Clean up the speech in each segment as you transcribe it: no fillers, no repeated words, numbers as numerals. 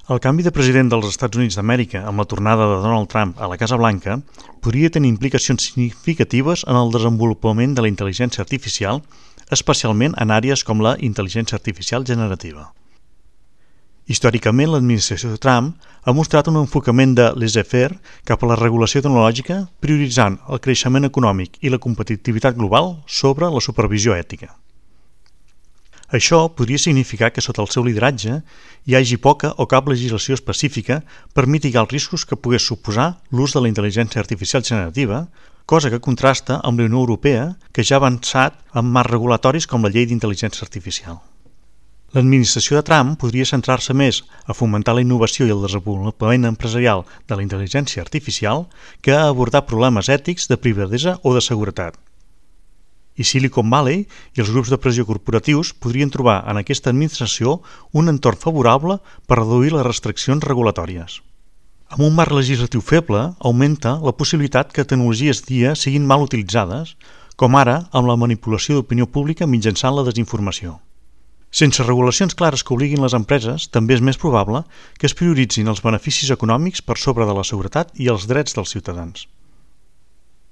El canvi de president dels Estats Units d'Amèrica amb la tornada de Donald Trump a la Casa Blanca podria tenir implicacions significatives en el desenvolupament de la intel·ligència artificial, especialment en àrees com la intel·ligència artificial generativa. Històricament, l'administració de Trump ha mostrat un enfocament de laissez-faire cap a la regulació tecnològica, prioritzant el creixement econòmic i la competitivitat global sobre la supervisió ètica. Això podria significar que sota el seu lideratge hi hagi poca o cap legislació específica per mitigar els riscos que pogués suposar l'ús de la intel·ligència artificial generativa, cosa que contrasta amb la Unió Europea, que ja ha avançat amb marcs regulatoris com la Llei d'Intel·ligència Artificial. L'administració de Trump podria centrar-se més a fomentar la innovació i el desenvolupament empresarial de la intel·ligència artificial que a abordar problemes ètics de privadesa o de seguretat. I Silicon Valley i els grups de pressió corporatius podrien trobar en aquesta administració un entorn favorable per reduir les restriccions regulatòries. Amb un marc legislatiu feble, augmenta la possibilitat que tecnologies dia siguin mal utilitzades, com ara amb la manipulació d'opinió pública mitjançant la desinformació. Sense regulacions clares que obliguin les empreses, també és més probable que es prioritzin els beneficis econòmics per sobre de la seguretat i els drets dels ciutadans.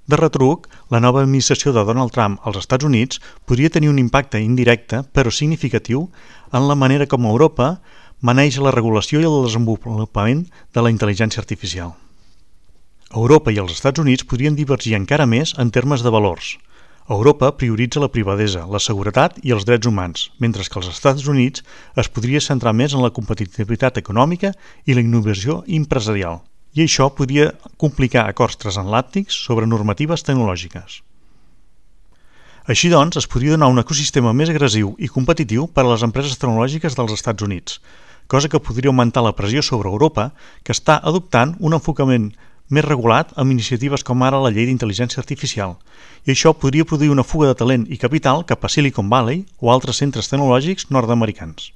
De retruc, la nova administració de Donald Trump als Estats Units podria tenir un impacte indirecte, però significatiu, en la manera com Europa maneja la regulació i el desenvolupament de la intel·ligència artificial. Europa i els Estats Units podrien divergir encara més en termes de valors. Europa prioritza la privadesa, la seguretat i els drets humans, mentre que als Estats Units es podria centrar més en la competitivitat econòmica i la innovació empresarial, i això podria complicar acords transatlàntics sobre normatives tecnològiques. Així doncs, es podria donar un ecosistema més agressiu i competitiu per a les empreses tecnològiques dels Estats Units, cosa que podria augmentar la pressió sobre Europa, que està adoptant un enfocament més regulat amb iniciatives com ara la Llei d'Intel·ligència Artificial, i això podria produir una fuga de talent i capital cap a Silicon Valley o altres centres tecnològics nord-americans.